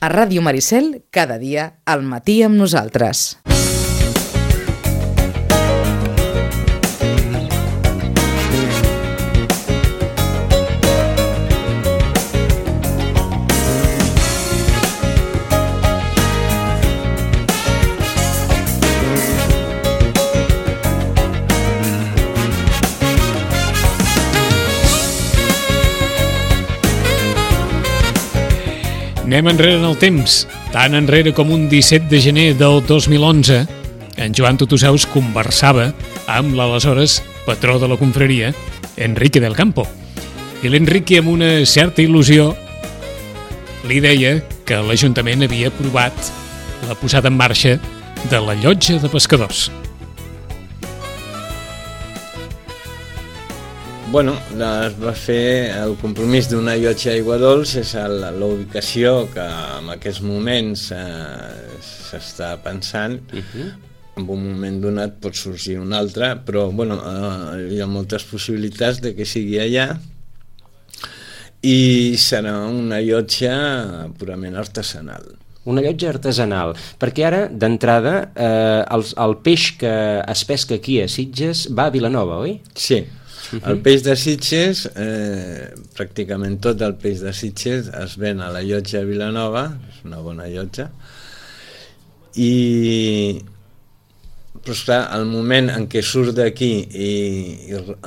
A Ràdio Maricel, cada dia, al matí amb nosaltres. Anem enrere en el temps, tan enrere com un 17 de gener del 2011. En Joan Tutusaus conversava amb l'aleshores patró de la confraria, Enrique del Campo. I l'Enrique, amb una certa il·lusió, li deia que l'Ajuntament havia aprovat la posada en marxa de la llotja de pescadors. Bueno, es va fer el compromís d'una llotja d'aigua dolç, és la ubicació que en aquests moments s'està pensant. En un moment donat pot sorgir un altre, però bueno, hi ha moltes possibilitats de que sigui allà, i serà una llotja purament artesanal. Una llotja artesanal, perquè ara, d'entrada, el peix que es pesca aquí a Sitges va a Vilanova, oi? Sí. El peix de Sitges, pràcticament tot el peix de Sitges es ven a la llotja de Vilanova, és una bona llotja, però esclar, el moment en què surt d'aquí i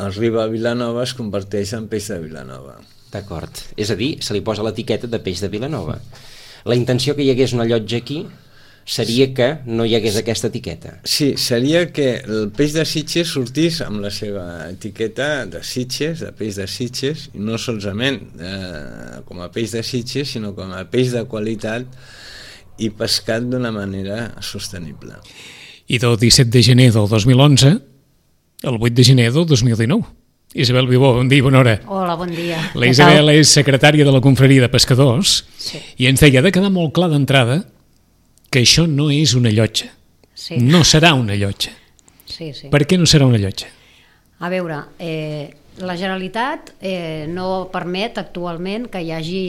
arriba a Vilanova es converteix en peix de Vilanova. D'acord, és a dir, se li posa l'etiqueta de peix de Vilanova. La intenció que hi hagués una llotja aquí seria que no hi hagués aquesta etiqueta. Sí, seria que el peix de Sitges sortís amb la seva etiqueta de Sitges, de peix de Sitges, i no solament com a peix de Sitges, sinó com a peix de qualitat i pescat d'una manera sostenible. I del 17 de gener del 2011 al 8 de gener del 2019. Isabel Vivó, bon dia, bona hora. Hola, bon dia. La Isabel és secretària de la confraria de pescadors, sí, i ens deia, ha de quedar molt clar d'entrada que això no és una llotja. Sí. No serà una llotja. Sí, sí. Per què no serà una llotja? A veure, la Generalitat no permet actualment que hi hagi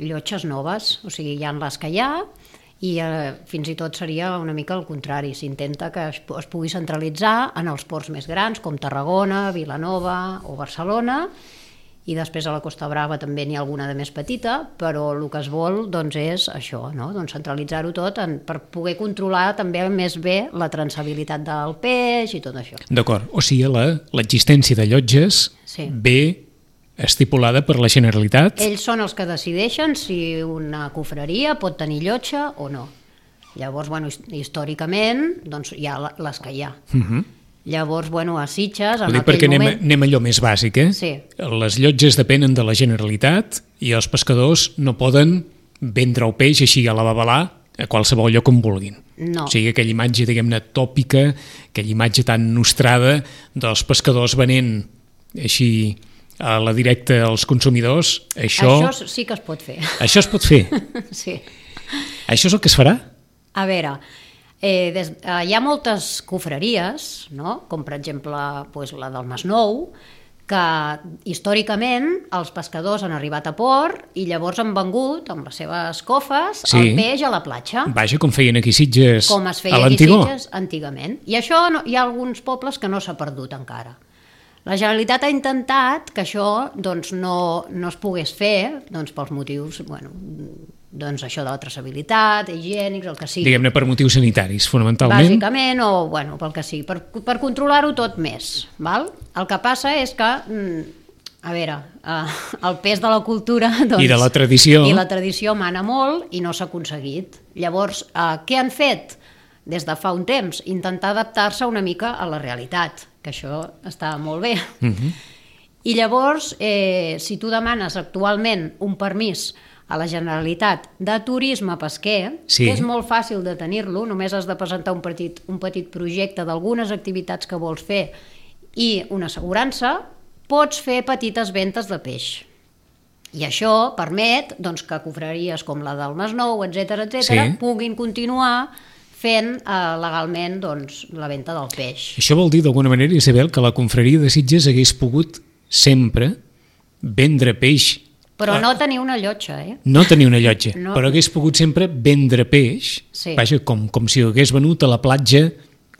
llotges noves, o sigui, hi ha les que hi ha, i fins i tot seria una mica el contrari. S'intenta que es pugui centralitzar en els ports més grans, com Tarragona, Vilanova o Barcelona, i després a la Costa Brava també n'hi ha alguna de més petita, però el que es vol doncs, és això, no? Doncs centralitzar-ho tot per poder controlar també més bé la traçabilitat del peix i tot això. D'acord, o sigui, l'existència de llotges ve estipulada per la Generalitat? Ells són els que decideixen si una confraria pot tenir llotja o no. Llavors, bueno, històricament, doncs hi ha les que hi ha. Llavors, bueno, a Sitges, en aquell moment... Anem allò més bàsic, Sí. Les llotges depenen de la Generalitat i els pescadors no poden vendre el peix així a la babalà a qualsevol lloc on vulguin. No. O sigui, aquella imatge, diguem-ne, tòpica, aquella imatge tan nostrada dels pescadors venent així a la directa als consumidors, això sí que es pot fer. Això es pot fer? Sí. Això és el que es farà? A veure, hi ha moltes confraries, no? Com per exemple la del Masnou, que històricament els pescadors han arribat a port i llavors han vengut amb les seves cofes el peix a la platja. Vaja, com feien aquí Sitges com es feia aquí Sitges antigament. I això hi ha alguns pobles que no s'ha perdut encara. La Generalitat ha intentat que això doncs, no es pogués fer pels motius, doncs això de la traçabilitat, higiènics, el que sigui. Diguem-ne per motius sanitaris, fonamentalment. Bàsicament, o pel que sigui, per controlar-ho tot més. Val? El que passa és que, a veure, el pes de la cultura... I de la tradició. I la tradició mana molt i no s'ha aconseguit. Llavors, què han fet des de fa un temps? Intentar adaptar-se una mica a la realitat, que això està molt bé. I llavors, si tu demanes actualment un permís a la Generalitat de turisme pesquer, que és molt fàcil de tenir-lo, només has de presentar un petit projecte d'algunes activitats que vols fer i una assegurança, pots fer petites ventes de peix. I això permet que confraries com la del Masnou, etc., puguin continuar fent legalment la venda del peix. Això vol dir, d'alguna manera, Isabel, que la confraria de Sitges hagués pogut sempre vendre peix Però no tenir una llotja, No tenir una llotja, No. però hagués pogut sempre vendre peix, Sí. vaja, com si ho hagués venut a la platja,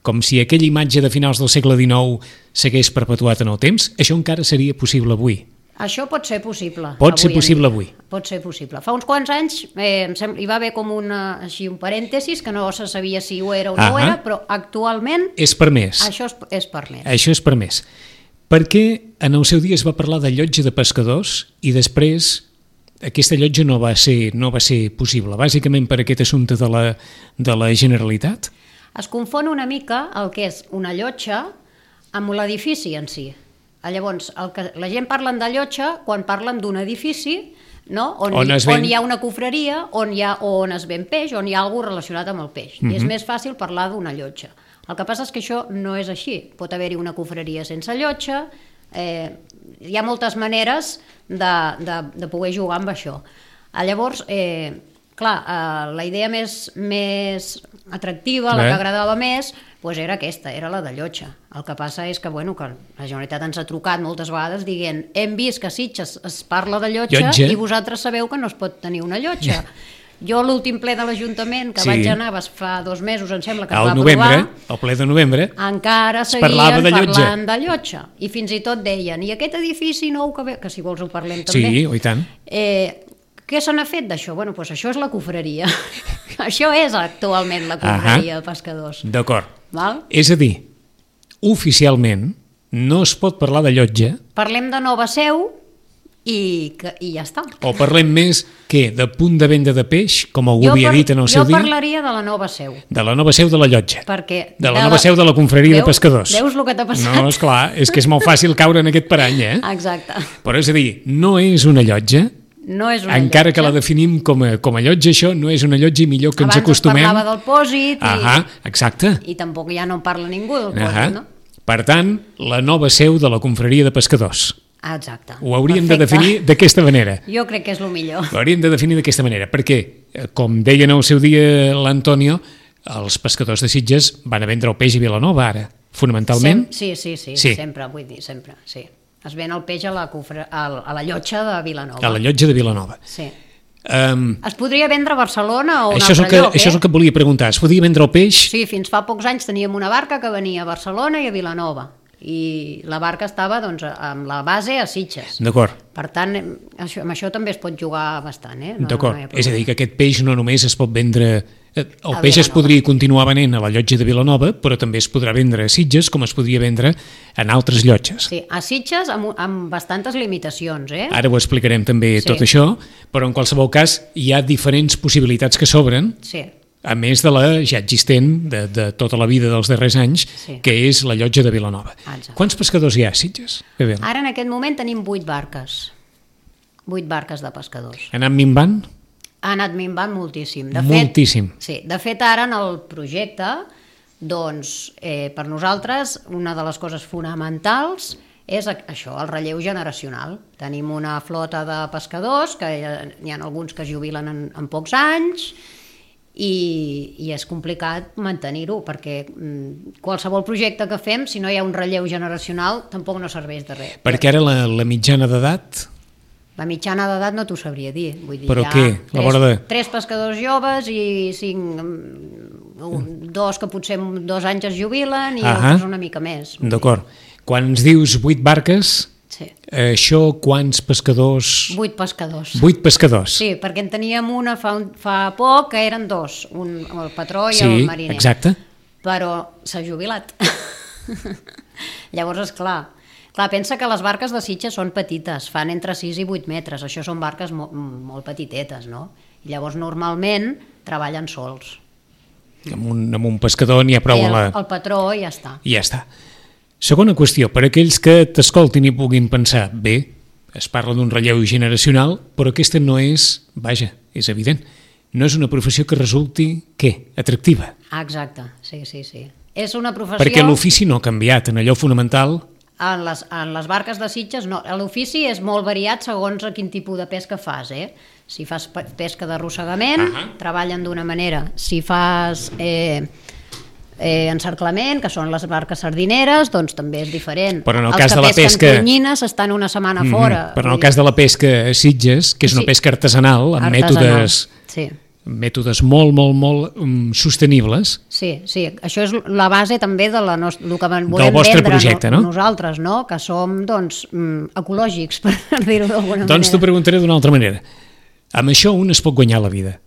com si aquella imatge de finals del segle XIX s'hagués perpetuat en el temps. Això encara seria possible avui. Això pot ser possible. Pot ser avui en possible dia. avui. Pot ser possible. Fa uns quants anys hi va haver com un parèntesis que no se sabia si ho era o no ho era, però actualment És permès. això és permès. Això és permès. Perquè en el seu dia es va parlar de llotja de pescadors i després aquesta llotja no va ser possible, bàsicament per aquest assumpte de la Generalitat. Es confon una mica el que és una llotja amb l'edifici en si. Llavors, la gent parlen de llotja quan parlen d'un edifici, no? on hi ha una cofreria, on es ven peix, on hi ha alguna cosa relacionat amb el peix. I és més fàcil parlar d'una llotja. El que passa és que això no és així. Pot haver-hi una cofreria sense llotja, hi ha moltes maneres de poder jugar amb això. Llavors, clar, la idea més atractiva, la que agradava més, doncs era aquesta, era la de llotja. El que passa és que, que la Generalitat ens ha trucat moltes vegades dient hem vist que a Sitges es parla de llotja i vosaltres sabeu que no es pot tenir una llotja. Jo l'últim ple de l'Ajuntament que vaig anar fa 2 mesos, em sembla que es va aprovar, el ple de novembre, encara seguien parlant de llotja. I fins i tot deien, i aquest edifici nou que si vols ho parlem també. Sí, i tant. Què se n'ha fet d'això? Doncs això és la cofreria. Això és actualment la cofreria de pescadors. D'acord. Val? És a dir, oficialment no es pot parlar de llotja. Parlem de nova seu i ja està. O parlem més de punt de venda de peix, com algú havia dit en el seu dia? Jo parlaria de la nova seu. De la nova seu de la llotja. De la nova seu de la confraria de pescadors. Veus el que t'ha passat? No, esclar, és que és molt fàcil caure en aquest parany, Exacte. Però és a dir, no és una llotja. No és una encara llotja. que la definim com a llotja, això no és una llotja i millor que ens acostumem. Abans es parlava del pòsit exacte. I tampoc ja no en parla ningú del pòsit, no? Per tant, la nova seu de la confraria de pescadors. Exacte. Ho hauríem de definir d'aquesta manera. Jo crec que és el millor. Ho hauríem de definir d'aquesta manera, perquè, com deien al seu dia l'Antonio, els pescadors de Sitges van a vendre el peix a Vilanova ara, fonamentalment. Sí, sempre, vull dir, sempre, sí. Es ven el peix a la llotja de Vilanova. A la llotja de Vilanova. Sí. Es podria vendre a Barcelona o un altre lloc, Això és el que volia preguntar. Es podia vendre el peix? Sí, fins fa pocs anys teníem una barca que venia a Barcelona i a Vilanova. I la barca estava amb la base a Sitges. D'acord. Per tant, amb això també es pot jugar bastant. D'acord. És a dir, que aquest peix no només es pot vendre... El peix es podria continuar venent a la llotja de Vilanova, però també es podrà vendre a Sitges, com es podria vendre en altres llotges. Sí, a Sitges amb bastantes limitacions. Ara ho explicarem també tot això, però en qualsevol cas hi ha diferents possibilitats que s'obren, a més de la ja existent de tota la vida dels darrers anys, que és la llotja de Vilanova. Exacte. Quants pescadors hi ha a Sitges? Ara en aquest moment tenim 8 barques. 8 barques de pescadors. Ha anat minvant? Ha anat minvant moltíssim. Moltíssim. De fet, ara en el projecte, doncs, per nosaltres, una de les coses fonamentals és això, el relleu generacional. Tenim una flota de pescadors, que n'hi ha alguns que es jubilen en pocs anys, i és complicat mantenir-ho, perquè qualsevol projecte que fem, si no hi ha un relleu generacional, tampoc no serveix de res. Perquè ara la mitjana d'edat... La mitjana d'edat no t'ho sabria dir. Vull dir, però què? 3 pescadors joves i 2 que potser 2 anys es jubilen i altres una mica més. D'acord. Quan ens dius 8 barques, això quants pescadors... 8 pescadors. 8 pescadors. Sí, perquè en teníem una fa poc que eren 2, el patró i el mariner. Sí, exacte. Però s'ha jubilat. Llavors, esclar, pensa que les barques de Sitges són petites, fan entre 6 i 8 metres, això són barques molt petitetes, no? I llavors normalment treballen sols. Amb un pescador n'hi ha prou el patró i ja està. I ja està. Segona qüestió, per aquells que t'escoltin i puguin pensar, bé, es parla d'un relleu generacional, però aquesta no és, vaja, és evident, no és una professió que resulti, què? Atractiva. Exacte, sí. És una professió... Perquè l'ofici no ha canviat, en allò fonamental... En les barques de Sitges no. L'ofici és molt variat segons a quin tipus de pesca fas. Si fas pesca d'arrossegament, treballen d'una manera. Si fas encerclament, que són les barques sardineres, doncs també és diferent. Però en el Els cas que de la pesquen pesca... tonyines estan una setmana fora. Però en el cas de la pesca a Sitges, que és una Sí. pesca artesanal, amb mètodes molt sostenibles. Sí, això és la base també de la el que volem del vostre vendre projecte, no? Nosaltres, no? Que som, doncs, ecològics, per dir-ho d'alguna manera. Doncs t'ho preguntaré d'una altra manera. Amb això un es pot guanyar la vida.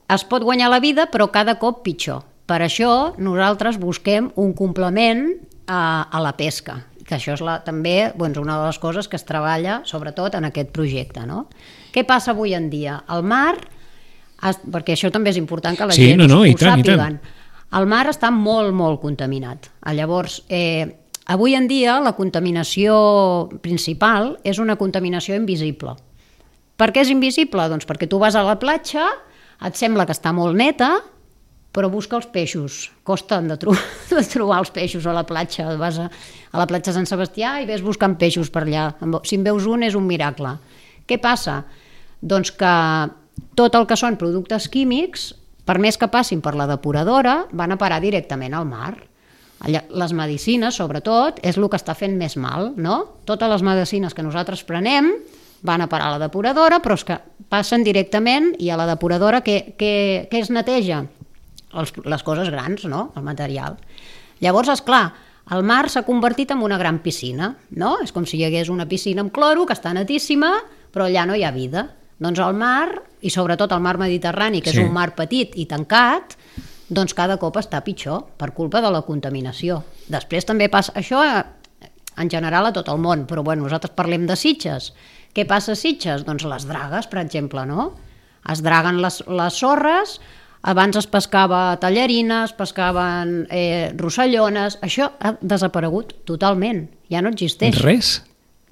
Es pot guanyar la vida, però cada cop pitjor. Per això nosaltres busquem un complement a la pesca, que això és també una de les coses que es treballa sobretot en aquest projecte. No? Què passa avui en dia? El mar, perquè això també és important que la gent ho sàpiguen, el mar està molt contaminat. Llavors, avui en dia la contaminació principal és una contaminació invisible. Per què és invisible? Doncs perquè tu vas a la platja, et sembla que està molt neta, però busca els peixos. Costen de trobar els peixos a la platja. Vas a la platja Sant Sebastià i ves buscant peixos per allà. Si en veus un és un miracle. Què passa? Doncs que tot el que són productes químics, per més que passin per la depuradora, van a parar directament al mar. Les medicines, sobretot, és el que està fent més mal, no? Totes les medicines que nosaltres prenem van a parar a la depuradora, però és que passen directament i a la depuradora què es neteja? Les coses grans, no? El material. Llavors, esclar, el mar s'ha convertit en una gran piscina, no? És com si hi hagués una piscina amb cloro que està netíssima, però allà no hi ha vida. Doncs el mar, i sobretot el mar Mediterrani, que és un mar petit i tancat, doncs cada cop està pitjor per culpa de la contaminació. Després també passa això en general a tot el món, però nosaltres parlem de Sitges. Què passa a Sitges? Doncs les dragues, per exemple, no? Es draguen les sorres. Abans es pescava tallarines, pescaven rossellones, això ha desaparegut totalment, ja no existeix. Res?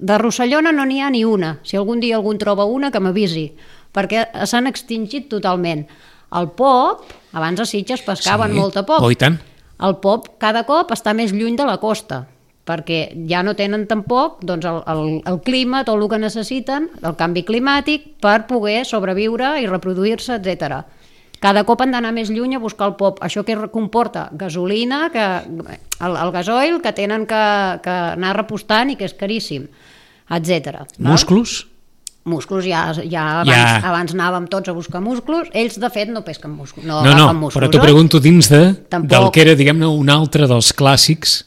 De rossellona no n'hi ha ni una, si algun dia algú troba una que m'avisi, perquè s'han extingit totalment. El pop, abans a Sitges pescaven molta pop, i tant. el pop cada cop està més lluny de la costa, perquè ja no tenen tampoc doncs, el clima, tot el que necessiten, el canvi climàtic, per poder sobreviure i reproduir-se, etc. Cada cop han d'anar més lluny a buscar el pop. Això que comporta? Gasolina, el gasoil que tenen que anar repostant i que és caríssim, etc. Músculs? Músculs, abans anàvem tots a buscar músculs. Ells, de fet, no pesquen músculs. No, però t'ho pregunto dins del que era, diguem-ne, un altre dels clàssics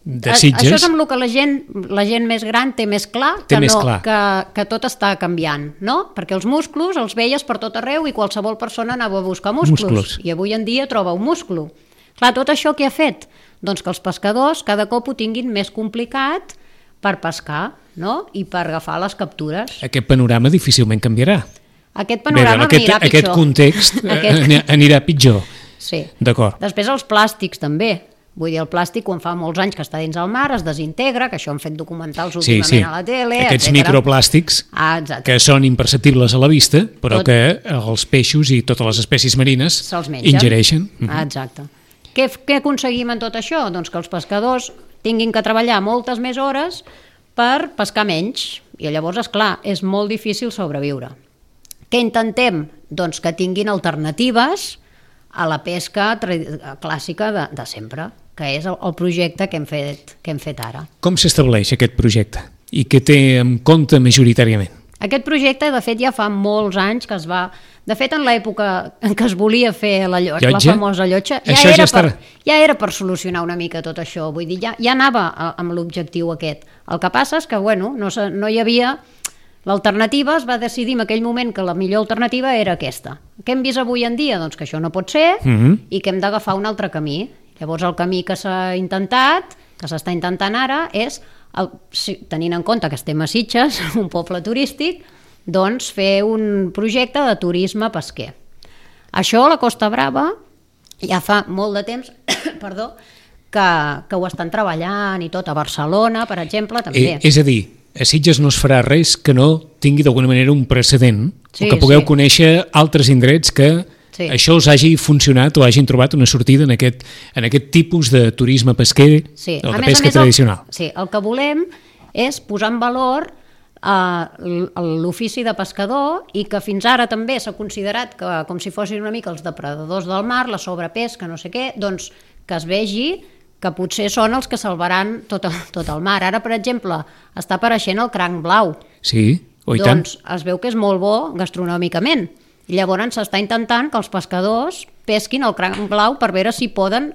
de Sitges. Això és amb el que la gent més gran té més clar, que tot està canviant, no? Perquè els músculs els veies per tot arreu i qualsevol persona anava a buscar músculs. I avui en dia troba un múscul. Clar, tot això què ha fet? Doncs que els pescadors cada cop ho tinguin més complicat per pescar, no? I per agafar les captures. Aquest panorama difícilment canviarà. Aquest panorama anirà pitjor. Aquest context anirà pitjor. Sí. D'acord. Després els plàstics també. Vull dir, el plàstic, quan fa molts anys que està dins el mar, es desintegra, que això han fet documentals últimament a la tele, Aquests microplàstics que són imperceptibles a la vista, però que els peixos i totes les espècies marines ingereixen. Exacte. Què aconseguim en tot això? Doncs que els pescadors tinguin que treballar moltes més hores per pescar menys. I llavors, esclar, és molt difícil sobreviure. Què intentem? Doncs que tinguin alternatives a la pesca clàssica de sempre, que és el projecte que hem fet ara. Com s'estableix aquest projecte? I què té en compte majoritàriament? Aquest projecte, de fet, ja fa molts anys que es va... De fet, en l'època en què es volia fer la famosa llotja, ja era per solucionar una mica tot això. Vull dir, ja anava amb l'objectiu aquest. El que passa és que, no hi havia... L'alternativa es va decidir en aquell moment que la millor alternativa era aquesta. Què hem vist avui en dia? Doncs que això no pot ser i que hem d'agafar un altre camí. Llavors el camí que s'ha intentat, que s'està intentant ara, és, tenint en compte que estem a Sitges, un poble turístic, doncs fer un projecte de turisme pesquer. Això a la Costa Brava ja fa molt de temps que ho estan treballant i tot. A Barcelona, per exemple, també. És a dir, a Sitges no es farà res que no tingui d'alguna manera un precedent, o que pugueu conèixer altres indrets que això us hagi funcionat o hagin trobat una sortida en aquest tipus de turisme pesquer o de pesca tradicional. Sí, el que volem és posar en valor l'ofici de pescador i que fins ara també s'ha considerat que com si fossin una mica els depredadors del mar, la sobrepesca, no sé què, doncs que es vegi que potser són els que salvaran tot el mar. Ara, per exemple, està apareixent el cranc blau. Sí, i tant. Doncs es veu que és molt bo gastronòmicament. Llavors s'està intentant que els pescadors pesquin el cranc blau per veure si poden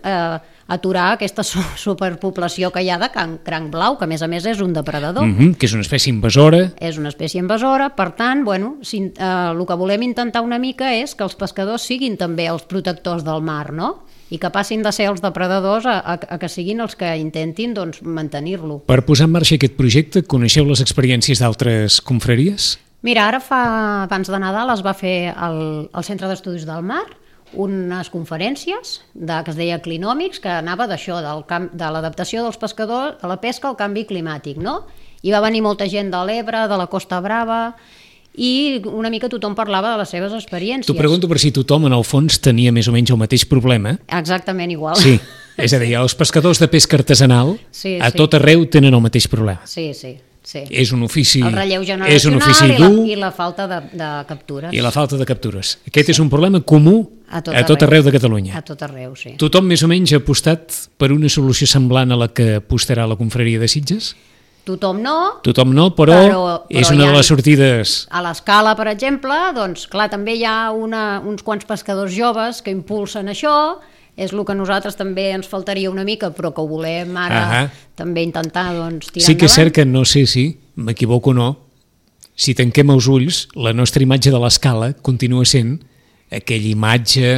aturar aquesta superpoblació que hi ha de cranc blau, que a més és un depredador. Que és una espècie invasora. És una espècie invasora, per tant, bueno, el que volem intentar una mica és que els pescadors siguin també els protectors del mar, no? I que passin de ser els depredadors a que siguin els que intentin doncs, mantenir-lo. Per posar en marxa aquest projecte, coneixeu les experiències d'altres confraries? Mira, ara abans de Nadal es va fer al Centre d'Estudis del Mar unes conferències que es deia Clinòmics, que anava d'això, de l'adaptació dels pescadors a la pesca al canvi climàtic, no? I va venir molta gent de l'Ebre, de la Costa Brava, i una mica tothom parlava de les seves experiències. T'ho pregunto per si tothom, en el fons, tenia més o menys el mateix problema. Exactament igual. Sí, és a dir, els pescadors de pesca artesanal a tot arreu tenen el mateix problema. Sí. És un ofici, el relleu generacional dur i la falta de captures. I la falta de captures. Aquest és un problema comú a tot arreu de Catalunya. A tot arreu, sí. Tothom més o menys ha apostat per una solució semblant a la que apostarà la confraria de Sitges? Tothom no, però és una de les sortides. A l'Escala, per exemple, doncs clar, també hi ha uns quants pescadors joves que impulsen això. És el que nosaltres també ens faltaria una mica, però que ho volem ara també intentar doncs, tirar endavant. Sí que és cert que no sé si m'equivoco o no, si tanquem els ulls, la nostra imatge de l'Escala continua sent aquella imatge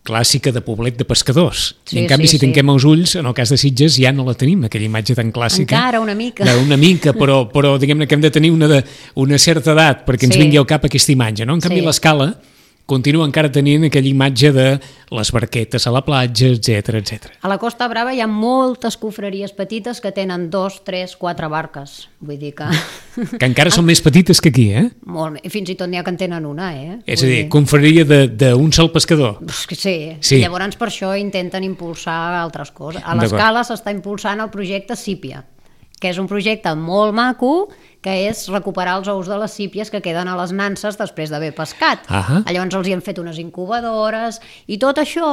clàssica de poblet de pescadors. I en canvi, si tanquem els ulls, en el cas de Sitges, ja no la tenim, aquella imatge tan clàssica. Encara una mica. Una mica, però diguem-ne que hem de tenir una certa edat perquè ens vingui al cap aquesta imatge, no? En canvi, l'Escala continua encara tenint aquella imatge de les barquetes a la platja, etc. A la Costa Brava hi ha moltes confraries petites que tenen 2, 3, 4 barques. Vull dir que... Que encara són més petites que aquí, eh? Molt, fins i tot n'hi ha que en tenen una, eh? És a dir, confraria d'un sol pescador. Sí. Llavors per això intenten impulsar altres coses. A l'Escala s'està impulsant el projecte Sípia, que és un projecte molt maco, que és recuperar els ous de les sípies que queden a les nanses després d'haver pescat. Llavors els hi han fet unes incubadores i tot això,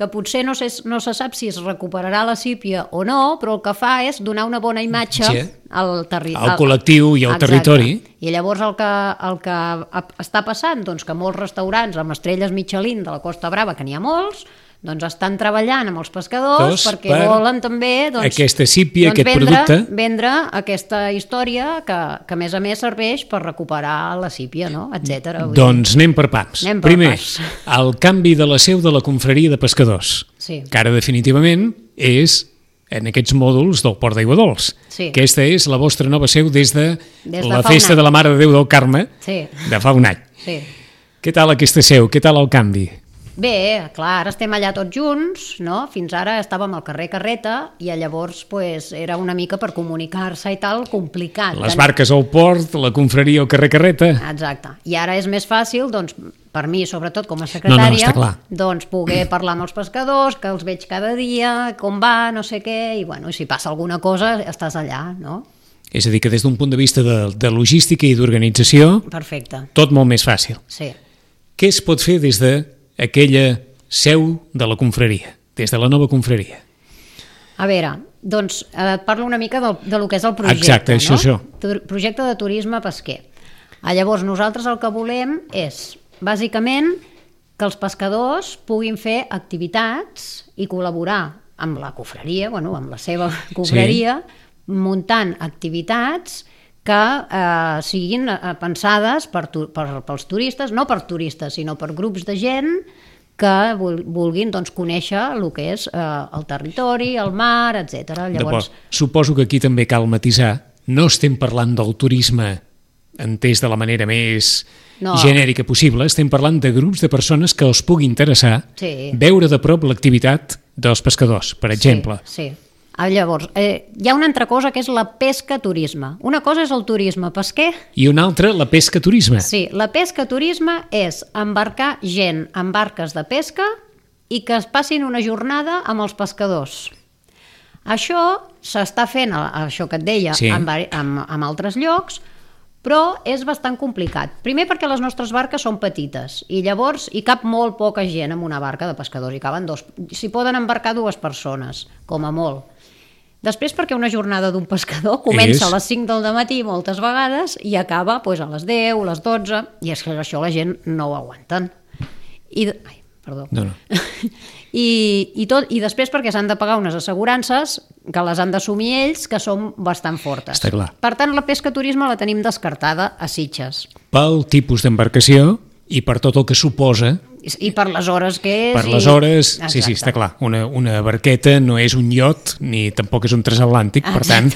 que potser no se sap si es recuperarà la sípia o no, però el que fa és donar una bona imatge al col·lectiu i al territori. I llavors el que està passant, doncs que molts restaurants amb estrelles Michelin de la Costa Brava, que n'hi ha molts, doncs estan treballant amb els pescadors perquè volen també aquesta sípia, aquest producte, vendre aquesta història que a més serveix per recuperar la sípia, no? etc. Doncs anem per pams. Primer, el canvi de la seu de la confraria de pescadors, que ara definitivament és en aquests mòduls del Port d'Aiguadols. Aquesta és la vostra nova seu des de la festa de la Mare de Déu del Carme de fa un any. Què tal aquesta seu? Què tal el canvi? Bé, clar, ara estem allà tots junts, no? Fins ara estàvem al carrer Carreta i llavors era una mica per comunicar-se i tal, complicat. Les barques al port, la confraria al carrer Carreta. Exacte. I ara és més fàcil, doncs, per mi, sobretot com a secretària, doncs poder parlar amb els pescadors, que els veig cada dia, com va, no sé què, i bueno, si passa alguna cosa, estàs allà, no? És a dir, que des d'un punt de vista de logística i d'organització, tot molt més fàcil. Sí. Què es pot fer des de aquella seu de la confraria, des de la nova confraria? A veure, doncs et parlo una mica de lo que és el projecte. Exacte, això. Projecte de turisme pesquer. Llavors, nosaltres el que volem és, bàsicament, que els pescadors puguin fer activitats i col·laborar amb la confraria, amb la seva confraria, muntant activitats que siguin pensades pels turistes, no per turistes, sinó per grups de gent que vulguin conèixer el que és el territori, el mar, etc. Llavors... Suposo que aquí també cal matisar. No estem parlant del turisme entès de la manera més genèrica possible, estem parlant de grups de persones que els pugui interessar veure de prop l'activitat dels pescadors, per exemple. Sí. Llavors, hi ha una altra cosa que és la pesca-turisme. Una cosa és el turisme pesquer. I una altra, la pesca-turisme. Sí, la pesca-turisme és embarcar gent en barques de pesca i que es passin una jornada amb els pescadors. Això s'està fent, això que et deia, en altres llocs, Però és bastant complicat. Primer perquè les nostres barques són petites i llavors hi cap molt poca gent en una barca de pescadors. Hi caben s'hi poden embarcar 2 persones, com a molt. Després perquè una jornada d'un pescador comença a les 5 del matí moltes vegades i acaba a les 10, les 12, i és que això la gent no ho aguanten. Perdó. No. I després perquè s'han de pagar unes assegurances que les han d'assumir ells, que són bastant fortes. Està clar. Per tant, la pesca turisme la tenim descartada a Sitges. Pel tipus d'embarcació i per tot el que suposa. I per les hores que és. Per les hores, Exacte. sí, està clar. Una barqueta no és un iot ni tampoc és un transatlàntic, per tant,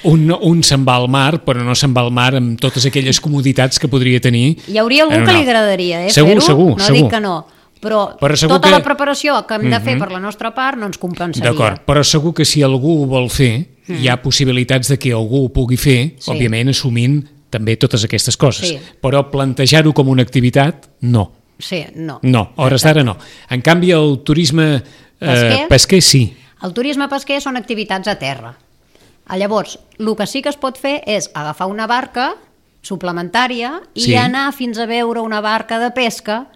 un se'n va al mar, però no se'n va al mar amb totes aquelles comoditats que podria tenir. Hi hauria algú que li agradaria Segur, fer-ho, segur, no segur. dic que no. Però tota la preparació que hem de fer per la nostra part no ens compensaria. D'acord, però segur que si algú ho vol fer, hi ha possibilitats de que algú ho pugui fer, òbviament assumint també totes aquestes coses. Sí. Però plantejar-ho com una activitat, no. Sí, no. No, a hores d'ara no. En canvi, el turisme pesquer sí. El turisme pesquer són activitats a terra. Llavors, el que sí que es pot fer és agafar una barca suplementària i anar fins a veure una barca de pesca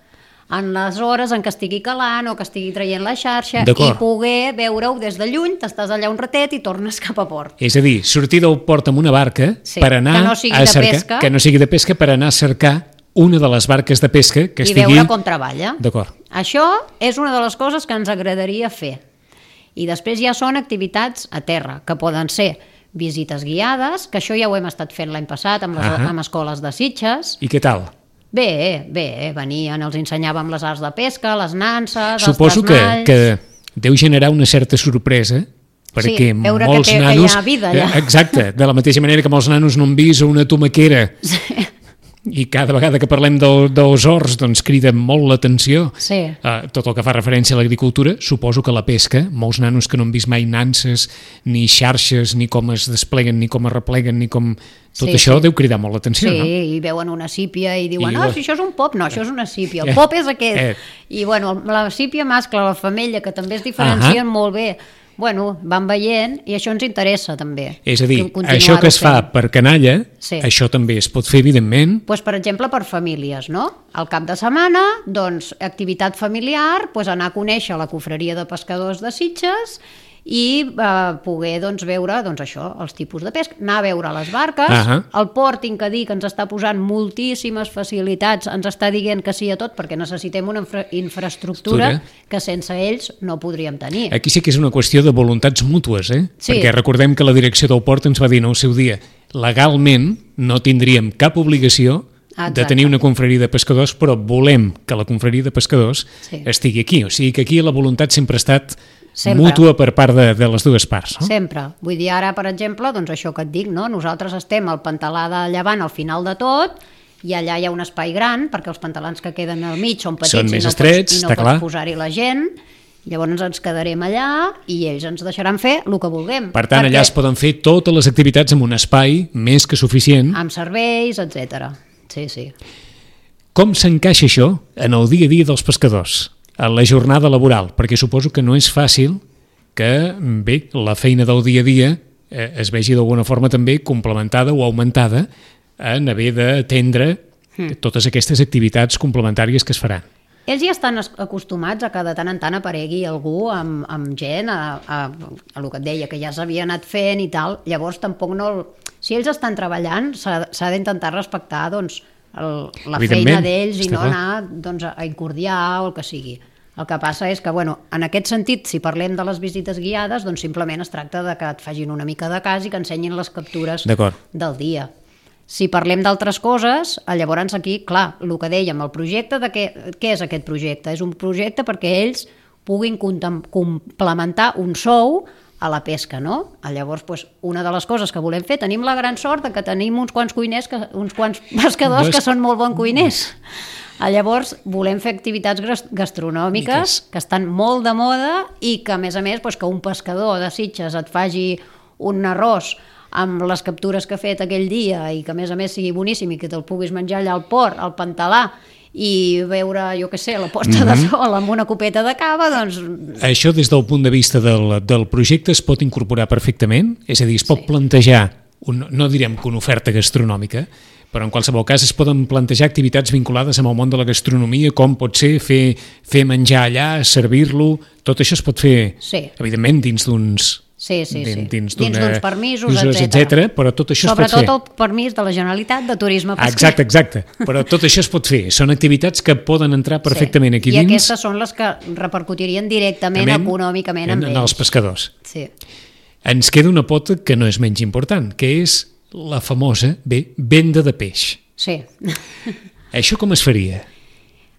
en les hores en què estigui calant o que estigui traient la xarxa i poder veure-ho des de lluny, t'estàs allà un ratet i tornes cap a port. És a dir, sortir del port amb una barca per anar que no sigui a de cercar, pesca, que no sigui de pesca, per anar a cercar una de les barques de pesca que i estigui... veure com treballa. D'acord. Això és una de les coses que ens agradaria fer. I després ja són activitats a terra, que poden ser visites guiades, que això ja ho hem estat fent l'any passat amb escoles de Sitges. I què tal? Bé, venien, els ensenyàvem les arts de pesca, les nanses, Suposo els trasmalls... que deu generar una certa sorpresa, perquè veure molts que nanos... hi ha vida allà. Exacte, de la mateixa manera que molts nanos no han vist una tomaquera. Sí. I cada vegada que parlem dels horts doncs crida molt l'atenció. Sí. Tot el que fa referència a l'agricultura, suposo que la pesca, molts nanos que no han vist mai nanses, ni xarxes, ni com es despleguen, ni com es repleguen, ni com... Tot això deu cridar molt l'atenció, no? Sí, i veuen una sípia i diuen, si això és un pop, no, això és una sípia, el pop és aquest. I bueno, la sípia mascle, la femella, que també es diferencien molt bé. Bueno, van veient i això ens interessa també. És a dir, això que es fa per canalla, això també es pot fer, evidentment. Doncs, per exemple, per famílies, no? Al cap de setmana, doncs, activitat familiar, doncs anar a conèixer la cofreria de pescadors de Sitges i poder doncs, veure doncs, això, els tipus de pesca, anar a veure les barques. El port, tinc que dir que ens està posant moltíssimes facilitats, ens està dient que sí a tot, perquè necessitem una infraestructura que sense ells no podríem tenir. Aquí sí que és una qüestió de voluntats mútues, Sí. Perquè recordem que la direcció del port ens va dir en el seu dia, legalment no tindríem cap obligació de tenir una confraria de pescadors, però volem que la confraria de pescadors estigui aquí. O sigui que aquí la voluntat sempre ha estat mútua per part de les dues parts. No? Sempre. Vull dir, ara, per exemple, doncs això que et dic, no? Nosaltres estem al Pantalà de Llevant al final de tot, i allà hi ha un espai gran, perquè els pantalans que queden al mig són petits, són més estrets, i no pots posar-hi la gent. Llavors ens quedarem allà i ells ens deixaran fer el que vulguem. Per tant, allà es poden fer totes les activitats en un espai més que suficient. Amb serveis, etc. Sí. Com s'encaixa això en el dia a dia dels pescadors, en la jornada laboral? Perquè suposo que no és fàcil que, bé, la feina del dia a dia es vegi d'alguna forma també complementada o augmentada en haver d'atendre totes aquestes activitats complementàries que es faran. Ells ja estan acostumats a que de tant en tant aparegui algú amb gent, a el que et deia, que ja s'havia anat fent i tal. Llavors tampoc no... Si ells estan treballant, s'ha d'intentar respectar doncs, la feina d'ells i no anar doncs, a incordiar o el que sigui. El que passa és que, bueno, en aquest sentit, si parlem de les visites guiades, doncs simplement es tracta de que et facin una mica de cas i que ensenyin les captures del dia. Si parlem d'altres coses, llavors aquí, clar, el que dèiem, el projecte, què és aquest projecte? És un projecte perquè ells puguin complementar un sou a la pesca, no? Llavors, doncs, una de les coses que volem fer, tenim la gran sort que tenim uns quants cuiners, uns quants pescadors que són molt bons cuiners. Llavors, volem fer activitats gastronòmiques que estan molt de moda i que, a més, que un pescador de Sitges et faci un arròs amb les captures que ha fet aquell dia i que, a més, sigui boníssim i que te'l puguis menjar allà al port, al Pantalà, i veure, jo què sé, la posta de sol amb una copeta de cava, doncs... Això, des del punt de vista del projecte, es pot incorporar perfectament? És a dir, es pot plantejar, no direm que una oferta gastronòmica, però en qualsevol cas es poden plantejar activitats vinculades amb el món de la gastronomia, com pot ser fer menjar allà, servir-lo, tot això es pot fer, evidentment, dins d'uns... Sí. Dins d'uns permisos, etc. Però tot això es pot fer. Sobretot el permís de la Generalitat de turisme pesquer. Exacte. Però tot això es pot fer. Són activitats que poden entrar perfectament aquí dins. I aquestes són les que repercutirien directament econòmicament en els pescadors. Sí. Ens queda una pota que no és menys important, que és la famosa venda de peix. Sí. Això com es faria?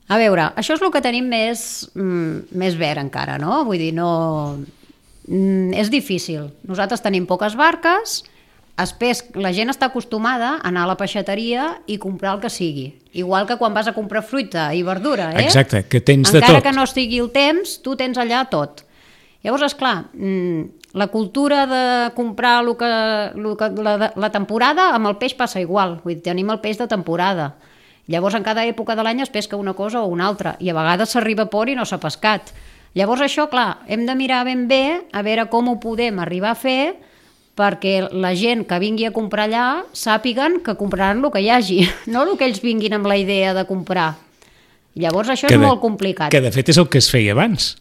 A veure, això és el que tenim més verd encara, no? Vull dir, no... és difícil. Nosaltres tenim poques barques, la gent està acostumada a anar a la peixateria i comprar el que sigui. Igual que quan vas a comprar fruita i verdura, Exacte, que tens de tot. Encara que no estigui el temps, tu tens allà tot. Llavors, esclar, la cultura de comprar la temporada, amb el peix passa igual. Vull dir, tenim el peix de temporada. Llavors, en cada època de l'any es pesca una cosa o una altra, i a vegades s'arriba a port i no s'ha pescat. Llavors això, clar, hem de mirar ben bé a veure com ho podem arribar a fer perquè la gent que vingui a comprar allà sàpiguen que compraran el que hi hagi, no el que ells vinguin amb la idea de comprar. Llavors això és molt complicat. Que de fet és el que es feia abans.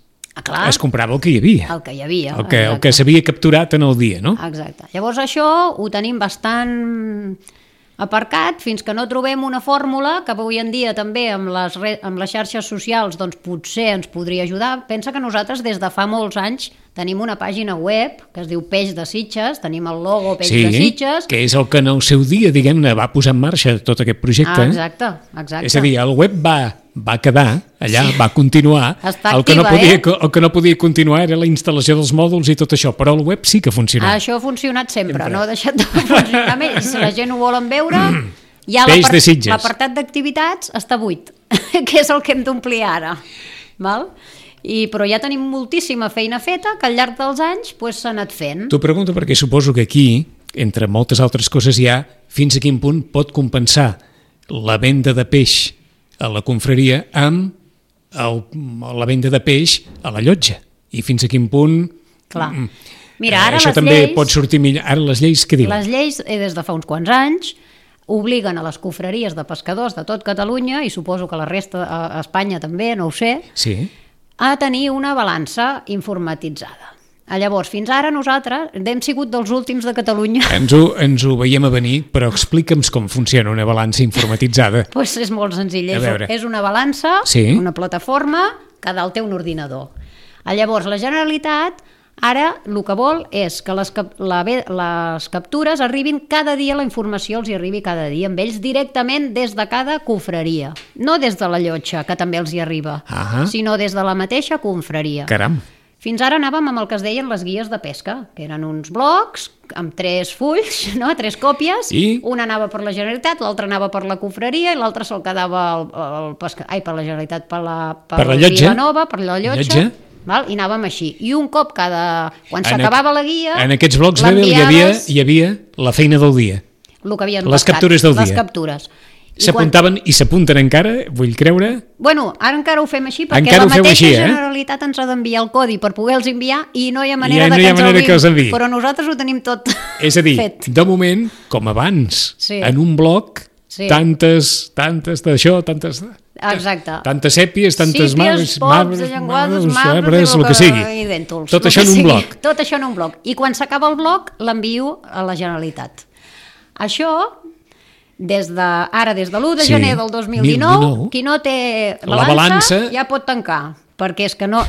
Clar, es comprava el que hi havia. El que hi havia. El que s'havia capturat en el dia, no? Exacte. Llavors això ho tenim bastant aparcat fins que no trobem una fórmula que avui en dia també amb les xarxes socials doncs potser ens podria ajudar. Pensa que nosaltres des de fa molts anys tenim una pàgina web que es diu Peix de Sitges, tenim el logo Peix de Sitges. Que és el que en el seu dia, diguem-ne, va posar en marxa tot aquest projecte. Exacte. És a dir, el web va quedar allà, va continuar. Està activa, el que no podia continuar era la instal·lació dels mòduls i tot això, però el web sí que funciona. Això ha funcionat sempre, no ha deixat de funcionar més. Si la gent ho volen veure, ja l'apartat d'activitats està buit, que és el que hem d'omplir ara. Val? Però ja tenim moltíssima feina feta que al llarg dels anys s'ha anat fent. T'ho pregunto perquè suposo que aquí, entre moltes altres coses, hi ha fins a quin punt pot compensar la venda de peix a la confraria amb la venda de peix a la llotja. I fins a quin punt... Clar. Mira, ara això també pot sortir millor. Ara les lleis què diuen? Les lleis, des de fa uns quants anys, obliguen a les confraries de pescadors de tot Catalunya, i suposo que la resta a Espanya també, no ho sé, a tenir una balança informatitzada. Llavors, fins ara nosaltres hem sigut dels últims de Catalunya. Ens ho veiem a venir, però explica'ns com funciona una balança informatitzada. Doncs és molt senzill. És una balança, una plataforma, que dalt té un ordinador. Llavors, la Generalitat ara el que vol és que les captures arribin cada dia, la informació els hi arribi cada dia amb ells directament des de cada confraria. No des de la llotja, que també els hi arriba, sinó des de la mateixa confraria. Caram! Fins ara anàvem amb el que es deien les guies de pesca, que eren uns blocs amb 3 fulls, 3 còpies, una anava per la Generalitat, l'altra anava per la confraria i l'altra se'l quedava per la Generalitat, per la Vilanova, per la llotja. I anàvem així. I un cop quan s'acabava la guia... En aquests blocs hi havia la feina del dia. Les captures del dia. Les captures. S'apuntaven i s'apunten encara, vull creure... Bueno, ara encara ho fem així perquè la mateixa Generalitat ens ha d'enviar el codi per poder-los enviar i no hi ha manera que els enviï. Però nosaltres ho tenim tot fet. És a dir, de moment, com abans, en un bloc, tantes d'això, tantes... Exacte. Tantes sèpies, tantes marbres, arbres, el que sigui. Tot això en un bloc. Tot això en un bloc. I quan s'acaba el bloc, l'envio a la Generalitat. Això, des de l'1 de gener del 2019, qui no té la balança ja pot tancar, perquè és que no...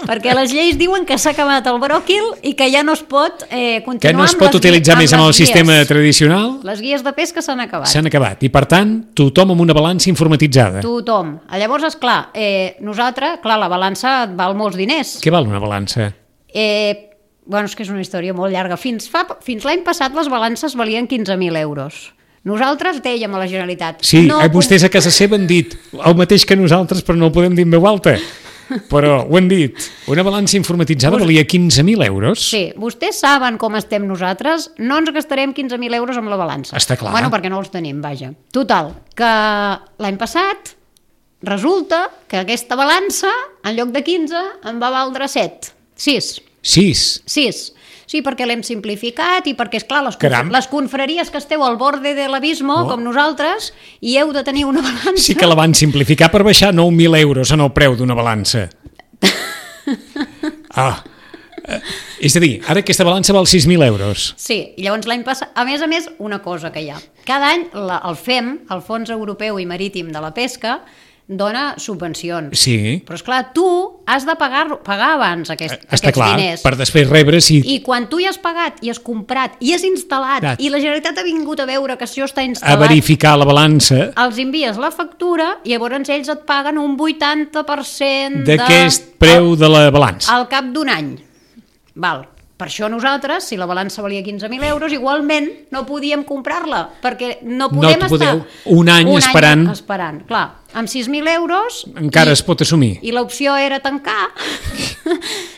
perquè les lleis diuen que s'ha acabat el bròquil i que ja no es pot continuar que no es pot utilitzar més amb el sistema tradicional. Les guies de pesca s'han acabat. S'han acabat i per tant tothom amb una balança informatitzada. Tothom. Llavors, esclar, nosaltres, la balança val molts diners. Què val una balança? Bueno, és que és una història molt llarga. Fins l'any passat les balances valien 15.000 euros. Nosaltres dèiem a la Generalitat... Sí, vostès a casa seva han dit el mateix que nosaltres, però no ho podem dir en veu alta. Però ho han dit, una balança informatitzada valia 15.000 euros. Sí, vostès saben com estem nosaltres, no ens gastarem 15.000 euros amb la balança. Està clar. Bueno, perquè no els tenim, vaja. Total, que l'any passat resulta que aquesta balança, en lloc de 15, em va valdre 7. 6. 6? 6. Sí, perquè l'hem simplificat i perquè, esclar, Caram. les confraries que esteu al borde de l'abismo, com nosaltres, i heu de tenir una balança... Sí que la van simplificar per baixar 9.000 euros en el preu d'una balança. És a dir, ara aquesta balança val 6.000 euros. Sí, i llavors l'any passat, a més, una cosa que hi ha. Cada any el FEM, el Fons Europeu i Marítim de la Pesca, dona subvencions. Sí. Però, esclar, tu has de pagar abans aquests clar, diners. per després rebre si... I quan tu hi has pagat, i has comprat, i has instal·lat, i la Generalitat ha vingut a veure que això està instal·lat... A verificar la balança... Els envies la factura i llavors ells et paguen un 80% d'aquest preu de la balança. Al cap d'un any. Val. Per això nosaltres, si la balança valia 15.000 euros, igualment no podíem comprar-la, perquè no podem estar un any esperant. Clar, amb 6.000 euros... Encara es pot assumir. I l'opció era tancar,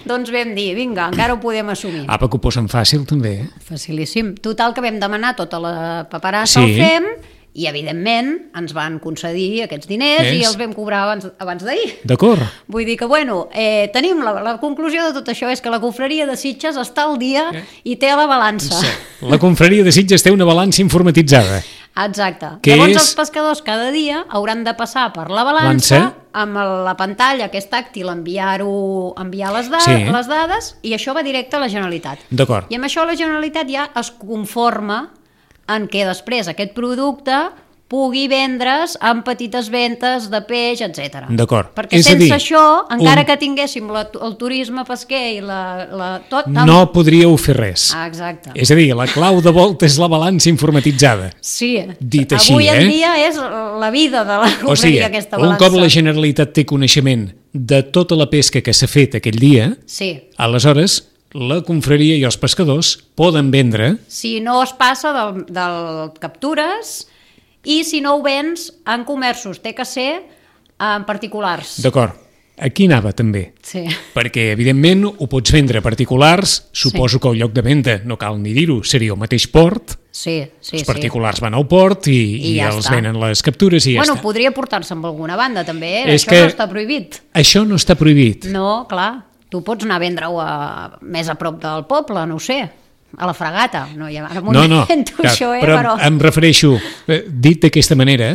doncs vam dir, vinga, encara ho podem assumir. Apa, que ho posen fàcil, també. Facilíssim. Total, que vam demanar tota la paperassa al FEM, i evidentment ens van concedir aquests diners i els vam cobrar abans d'ahir. D'acord. Vull dir que, bueno, tenim la conclusió de tot això és que la confraria de Sitges està al dia i té la balança. Sí. La confraria de Sitges té una balança informatitzada. Exacte. Llavors els pescadors cada dia hauran de passar per la balança amb la pantalla que és tàctil, enviar les dades, i això va directe a la Generalitat. D'acord. I amb això la Generalitat ja es conforma en què després aquest producte pugui vendre's amb petites ventes de peix, etc. D'acord. Perquè sense això, encara que tinguéssim el turisme pesquer i tot... No podríeu fer res. Exacte. És a dir, la clau de volta és la balança informatitzada. Sí. Dit així, avui en dia és la vida de la confraria, aquesta balança. Un cop la Generalitat té coneixement de tota la pesca que s'ha fet aquell dia, aleshores la confraria i els pescadors poden vendre... Si no es passa del captures i si no ho vens en comerços, té que ser en particulars. D'acord. Aquí anava també. Sí. Perquè, evidentment, ho pots vendre a particulars, suposo que el lloc de venda, no cal ni dir-ho, seria el mateix port. Sí. Els particulars van al port i ja els venen les captures i ja està. Podria portar-se amb alguna banda també, això no està prohibit. Això no està prohibit. No, clar. Tu pots anar a vendre-ho més a prop del poble, no ho sé, a la Fragata. No, però em refereixo, dit d'aquesta manera,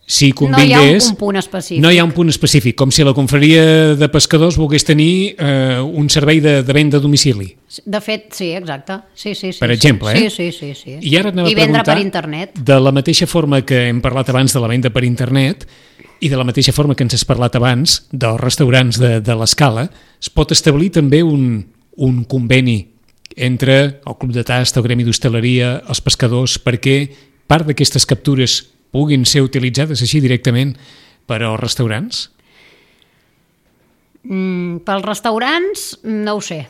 si convingués... No hi ha un punt específic. No hi ha un punt específic, com si la confraria de pescadors volgués tenir un servei de venda a domicili. De fet, sí, exacte. Sí, per exemple, Sí. I ara anava a vendre per preguntar, internet. De la mateixa forma que hem parlat abans de la venda per internet, i de la mateixa forma que ens has parlat abans dels restaurants de l'Escala, es pot establir també un conveni entre el Club de Tast, el Gremi d'Hostaleria, els pescadors, perquè part d'aquestes captures puguin ser utilitzades així directament per als restaurants? Pels restaurants, no ho sé.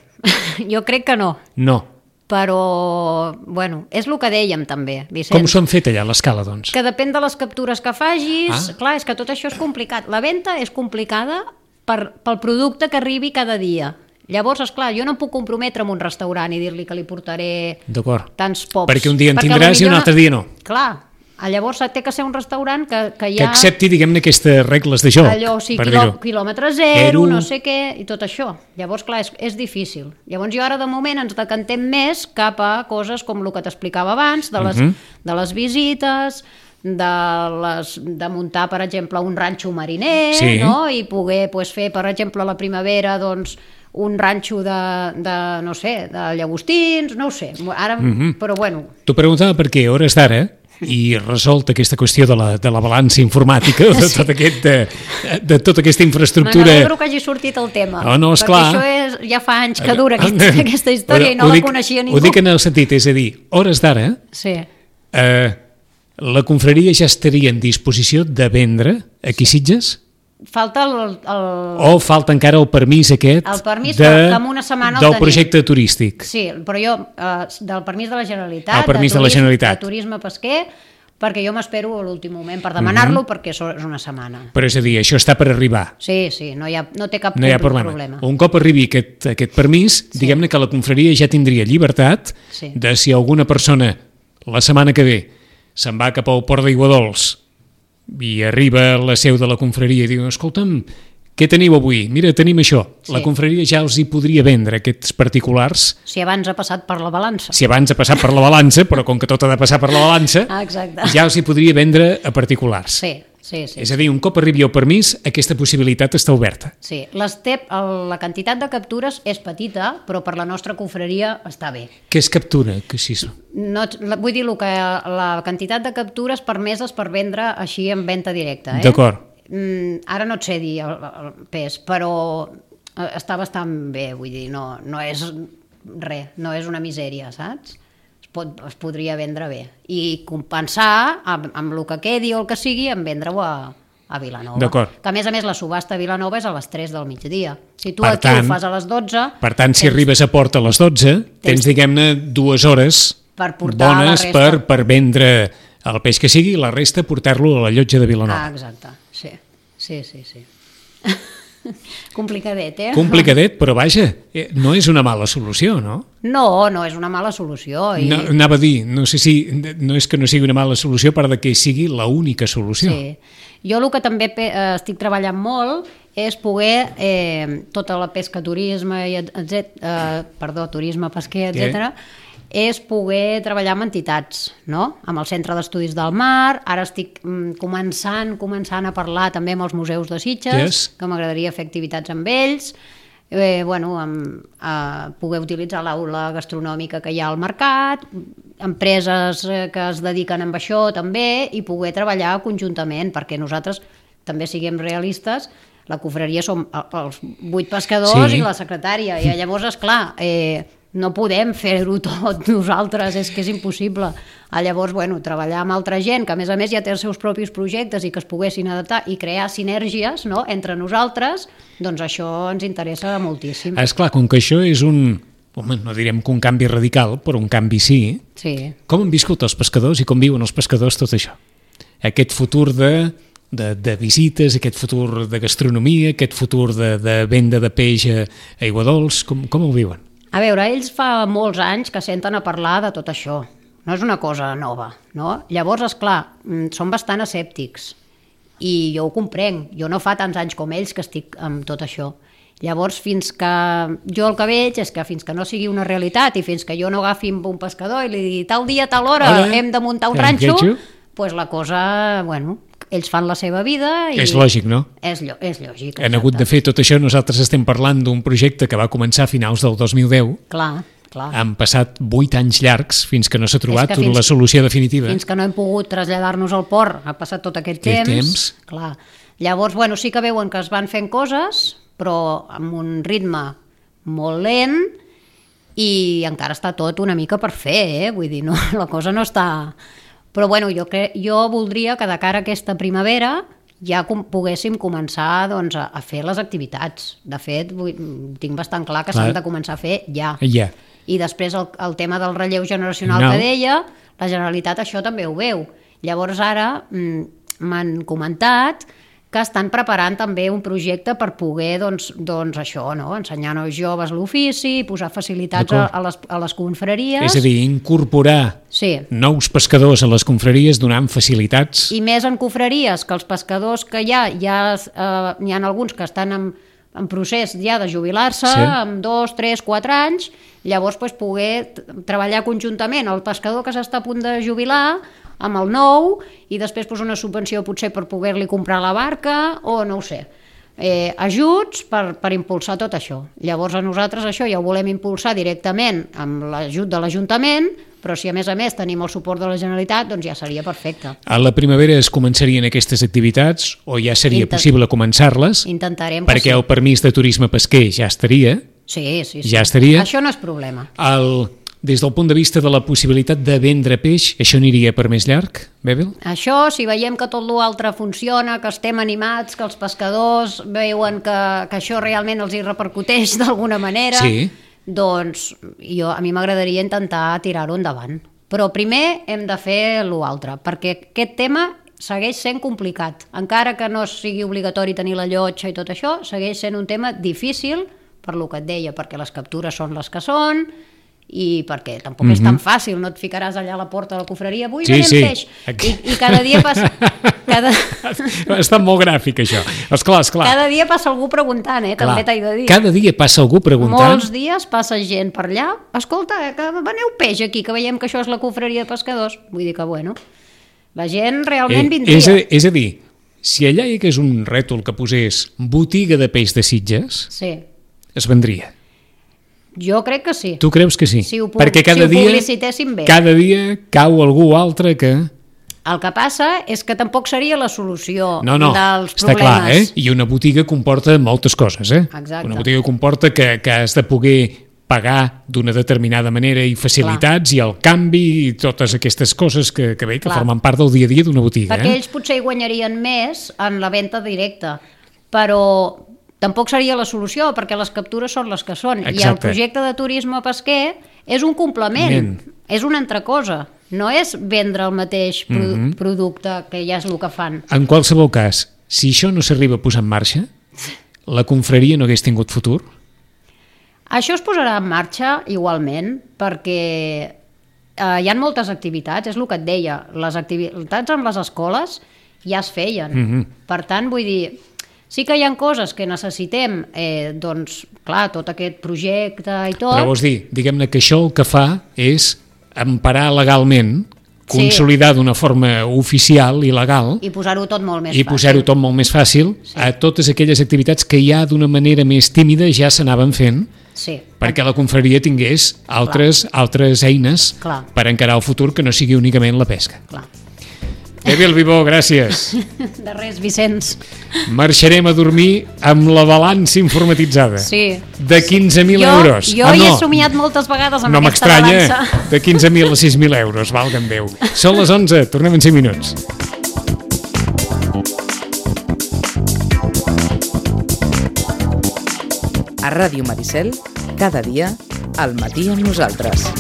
Jo crec que no. No. Però, bueno, és el que dèiem també, Vicenç. Com s'ho han fet allà a l'Escala, doncs? Que depèn de les captures que facis. Clar, és que tot això és complicat. La venda és complicada pel producte que arribi cada dia. Llavors, esclar, jo no em puc comprometre amb un restaurant i dir-li que li portaré tants pocs. Perquè un dia en tindràs i un altre dia no. Clar, llavors té que ser un restaurant que ja... Que accepti, diguem-ne, aquestes regles de joc. Allò, sí, quilòmetre zero, no sé què, i tot això. Llavors, clar, és difícil. Llavors jo ara, de moment, ens decantem més cap a coses com el que t'explicava abans, de les visites, de muntar, per exemple, un ranxo mariner, no? I poder fer, per exemple, a la primavera, doncs, un ranxo no sé, de llagostins, no ho sé. Ara, però bueno. T'ho preguntava perquè a hores d'ara, i resolt aquesta qüestió de la balança informàtica, de tota aquesta infraestructura... M'alegro que hagi sortit el tema, perquè això ja fa anys que dura aquesta història i no la coneixia ningú. Ho dic en el sentit, és a dir, hores d'ara, la confraria ja estaria en disposició de vendre aquí Sitges? Falta o falta encara el permís aquest en una setmana del projecte turístic. Sí, però jo del permís de la Generalitat, el permís de la Generalitat, de turisme pesquer, perquè jo m'espero a l'últim moment per demanar-lo, perquè és una setmana. Però és a dir, això està per arribar. Sí, no té cap problema. Un cop arribi aquest permís, diguem-ne que la confraria ja tindria llibertat de si alguna persona la setmana que ve se'n va cap al port d'Aiguadols i arriba a la seu de la confraria i diu, escolta'm, Què teniu avui? Mira, tenim això. Sí. La confraria ja els hi podria vendre aquests particulars Si abans ha passat per la balança. si abans ha passat per la balança, però com que tot ha de passar per la balança, Exacte. ja els hi podria vendre a particulars. Sí. És a dir, un cop arribi el permís, aquesta possibilitat està oberta. Sí, la quantitat de captures és petita, però per la nostra confraria està bé. Què es captura? Que sí. No, vull dir que la quantitat de captures permeses per vendre així en venda directa. D'acord. Ara no et sé dir el pes, però està bastant bé, vull dir, no és res, no és una misèria, saps? Es podria vendre bé i compensar amb el que quedi o el que sigui en vendre-ho a Vilanova. D'acord. Que a més la subhasta a Vilanova és a les 3 del migdia. Si tu Per aquí tant, ho fas a les 12... Per tant, si arribes a Port a les 12, tens diguem-ne 2 hores per portar bones la resta. per vendre el peix que sigui i la resta portar-lo a la llotja de Vilanova. Exacte, sí. Complicadet, Complicadet, però vaja, no és una mala solució, no? No és una mala solució. No, anava a dir, no sé si no és que no sigui una mala solució, a part de que sigui l'única solució. Sí. Jo el que també estic treballant molt és poder tota la pesca, turisme, turisme, pesquer, etc. És poder treballar amb entitats, no? Amb el Centre d'Estudis del Mar. Ara estic començant a parlar també amb els museus de Sitges, que m'agradaria fer activitats amb ells, poder utilitzar l'aula gastronòmica que hi ha al mercat, empreses que es dediquen a això també, i poder treballar conjuntament, perquè nosaltres també siguem realistes. La confraria som els 8 pescadors i la secretària, i llavors, esclar, no podem fer-ho tot nosaltres, és que és impossible. Llavors, treballar amb altra gent, que a més ja té els seus propis projectes i que es poguessin adaptar i crear sinergies, no?, entre nosaltres, doncs això ens interessa moltíssim. Esclar, com que això és no direm que un canvi radical, però un canvi sí. Com han viscut els pescadors i com viuen els pescadors tot això? Aquest futur de visites, aquest futur de gastronomia, aquest futur de venda de peix a Aiguadols, com ho viuen? A veure, ells fa molts anys que senten a parlar de tot això. No és una cosa nova, no? Llavors, esclar, són bastant escèptics i jo ho comprenc. Jo no fa tants anys com ells que estic amb tot això. Llavors, jo el que veig és que fins que no sigui una realitat i fins que jo no agafi amb un pescador i li digui tal dia, tal hora hem de muntar un ranxo, doncs la cosa, ells fan la seva vida i... És lògic, no? És lògic. Han hagut de fer tot això. Nosaltres estem parlant d'un projecte que va començar a finals del 2010. Clar. Han passat 8 anys llargs fins que no s'ha trobat la solució definitiva. Fins que no hem pogut traslladar-nos al port, ha passat tot aquest temps. Clar. Llavors, sí que veuen que es van fent coses, però amb un ritme molt lent i encara està tot una mica per fer, vull dir, no, la cosa no està... Però jo voldria que de cara a aquesta primavera ja poguéssim començar a fer les activitats. De fet, tinc bastant clar que s'han de començar a fer ja. I després el tema del relleu generacional que deia, la Generalitat això també ho veu. Llavors ara m'han comentat que estan preparant també un projecte per poder això, ensenyar als joves l'ofici, posar facilitats a les confraries. És a dir, incorporar nous pescadors a les confraries donant facilitats. I més en confraries, que els pescadors que n'hi ha alguns que estan en procés ja de jubilar-se, amb 2, 3, 4 anys, llavors poder treballar conjuntament el pescador que s'està a punt de jubilar amb el nou i després una subvenció potser per poder-li comprar la barca o no ho sé. Ajuts per impulsar tot això. Llavors a nosaltres això ja ho volem impulsar directament amb l'ajut de l'Ajuntament, però si a més tenim el suport de la Generalitat, doncs ja seria perfecte. A la primavera es començarien aquestes activitats o ja seria possible començar-les? Intentarem. Perquè el permís de turisme pesquer ja estaria. Sí. Ja estaria. Això no és problema. Des del punt de vista de la possibilitat de vendre peix, això aniria per més llarg, Bèbil? Això, si veiem que tot l'altre funciona, que estem animats, que els pescadors veuen que això realment els hi repercuteix d'alguna manera, doncs a mi m'agradaria intentar tirar-ho endavant. Però primer hem de fer l'altre, perquè aquest tema segueix sent complicat. Encara que no sigui obligatori tenir la llotja i tot això, segueix sent un tema difícil, per lo que et deia, perquè les captures són les que són, i perquè tampoc és tan fàcil, no et ficaràs allà a la porta de la confraria, avui venem peix, i cada dia passa Ha estat molt gràfic, això. Esclar. Cada dia passa algú preguntant, també t'he de dir. Cada dia passa algú preguntant. Molts dies passa gent per allà. Escolta, que veneu peix aquí, que veiem que això és la confraria de pescadors. Vull dir que, bueno, la gent realment vindria. És a dir, si allà hi hagués un rètol que posés botiga de peix de Sitges, sí, es vendria. Jo crec que sí. Tu creus que sí? Perquè ho publicitéssim bé. Cada dia cau algú altre que... El que passa és que tampoc seria la solució no, dels està problemes. clar, I una botiga comporta moltes coses, Exacte. Una botiga comporta que has de poder pagar d'una determinada manera i facilitats, i el canvi i totes aquestes coses que formen part del dia a dia d'una botiga. Perquè ells potser hi guanyarien més en la venda directa, però tampoc seria la solució, perquè les captures són les que són. Exacte. I el projecte de turisme pesquer és un complement, és una altra cosa. No és vendre el mateix producte, que ja és el que fan. En qualsevol cas, si això no s'arriba a posar en marxa, la confraria no hagués tingut futur? Això es posarà en marxa igualment, perquè hi ha moltes activitats, és el que et deia, les activitats amb les escoles ja es feien. Per tant, vull dir, sí que hi ha coses que necessitem, doncs, clar, tot aquest projecte i tot... Però vols dir, diguem-ne que això el que fa és emparar legalment, consolidar d'una forma oficial i legal, i posar-ho tot molt més fàcil. I posar-ho tot molt més fàcil a totes aquelles activitats que ja d'una manera més tímida ja s'anaven fent, perquè la confraria tingués altres eines per encarar el futur que no sigui únicament la pesca. Evi Albibó, gràcies. De res, Vicenç. Marxarem a dormir amb la balança informatitzada. Sí. De 15.000 euros. Jo hi he somiat moltes vegades amb aquesta balança. No m'estranya, de 15.000 a 6.000 euros, valga'm Déu. Són les 11, tornem en 5 minuts. A Ràdio Maricel, cada dia, al matí amb nosaltres.